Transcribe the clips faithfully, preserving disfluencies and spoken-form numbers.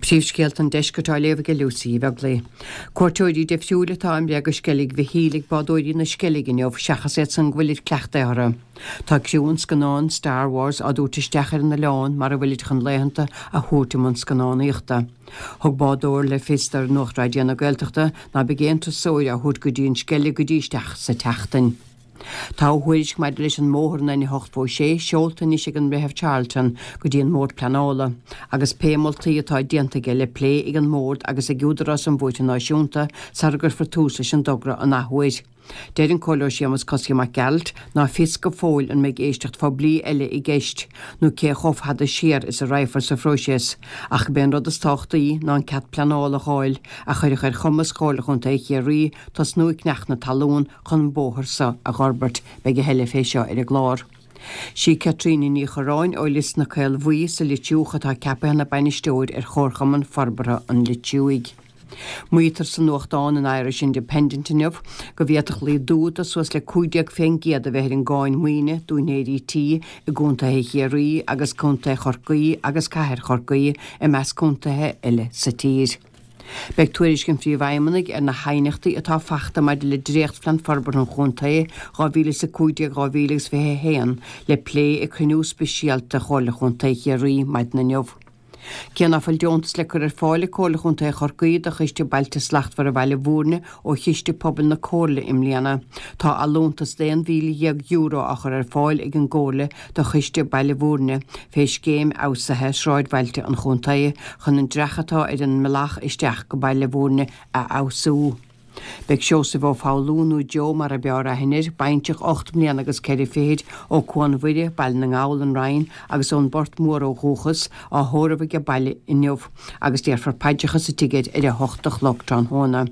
Príomhscéalta an deiscirt á léamh ag Lucy Uí Bheaglaoich. Cuairteoirí difriúil atá i mbreith go Sceilg Mhichíl ag bádóirí na Sceilge inniu seachas iad san go bhfuilid cleachtaithe orthu. Tá criú an scannáin Star Wars á dtabhairt isteach ar an oileán mar a bhfuilid chun laethanta a thabhairt i mbun scannánaíochta. Thug bádóir le fios do Nuacht Raidió na Gaeltachta ná beidh aon turasóir á thabhairt go dtí an Sceilg go dtí isteach sa tseachtain. Tá a thuairisc maidir leis an mbóthar an N a hocht sé seolta anois ag an mBreitheamh Charlton go dtí an mBord Pleanála, agus pé moltaí atá déanta aige le plé ag an mbord agus ag Údarás an Bhóithre Náisiúnta sara gcuirfear tús leis an dtogra an athuair. Deir an Comhairleoir Séamus Cosaí Mac Gearailt ná fios go fóill an mbeidh éisteacht phoiblí eile i gceist, nó cé chomh fada siar is a raghfar sa phróiseas, ach gurb é an rud is tábhachtaí ná an cead pleanála a fháil a chuirfeadh ar chumas Chomhairle Chontae Chiarraí tosnú ag ceannach na talún chun an bóthar seo a fhorbairt, beidh a thuilleadh fé seo ar an gclár. Sí Caitríona Ní Chorráin ó Lios na Caolbhuí sa Litriúch atá ceaptha ina bainisteoir ar Chomharchumann Forbartha an Litriúigh. Maítear sa nuachtán an Irish Independent inniu go bhféadfadh laghdú de suas le cúig déag faoin gcéad a bheith ar an gcáin maoine d'úinéirí tí i gcontaetha Chiarraí agus contae Chorcaí agus cathair Chorcaí i measc contaetha eile sa tír. Beidh tuairisc an phríomhfheidhmeannaigh ar na haighneachtaí atá faighte maidir le dréachtphlean forbartha an chontae dhá mhíle is a cúig déag dhá mhíle agus fiche a haon le plé ag cruinniú speisialta Chomhairle Chontae Chiarraí maidin inniu. Cé ná fuil deontas le cur ar fáil ag Comhairle Chontae Chorcaí do Choiste Bailte Slachtmhara Bhaile Bhúirne ó Chiste Pobail na Comhairle i mbliana, tá allúntas d'aon mhíle dhéag euro á chur ar fáil ag an gComhairle do Choiste Baile Bhúirne fé scéim fheabhsaithe sráidbhailte an chontae chun an dreach atá ar an mbealach isteach go Baile Bhúirne a fheabhsú. Beidh Seosamh Ó Foghlú, nó Joe mar a b'fhearr aithne air, baintreach ocht mbliana agus ceithre fichid ó Cuan Mhuire, Baile na nGall, an Rinn, agus ón bPort Mór ó dhúchas, á thórramh aige baile inniu agus déarfar paidreacha sa tigh air ar a hocht a chlog tráthnóna.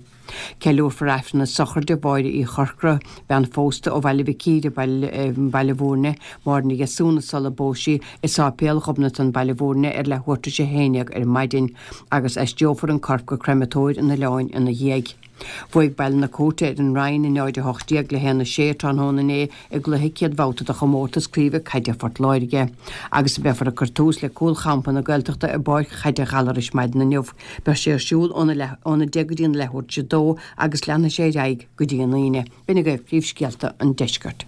Ceiliúrfar Aifreann na sochraide Mháire Uí Chorcra, bean phósta ó Bhaile Mhic Íre, Baile Bhúirne, Máire Ní Dheasúna sula bpós sí i Sáipéal Ghobnatan, Baile Bhúirne, ar leathuair tar éis a haon déag ar maidin, agus aistreofar an corp go creimeatóir an oileáin ina dhiaidh. Bhuaigh Baile na Cúirte ar an Rinn i náid a hocht déag le haon a sé tráthnóna inné i gcluiche céad bhabhta de chomórtas craoibhe caide Phort Láirge. Agus beifear ag cur tús le Cúlchampa na Gaeltachta i bPáirc Chaide Ghallarais maidin inniu. Beidh sé ar siúl óna leath óna deich go dtí an leathuair tar éis a dó agus leanfaidh sé ar aghaidh go dtí an Aoine. B'in agaibh príomhscéalta an deiscirt.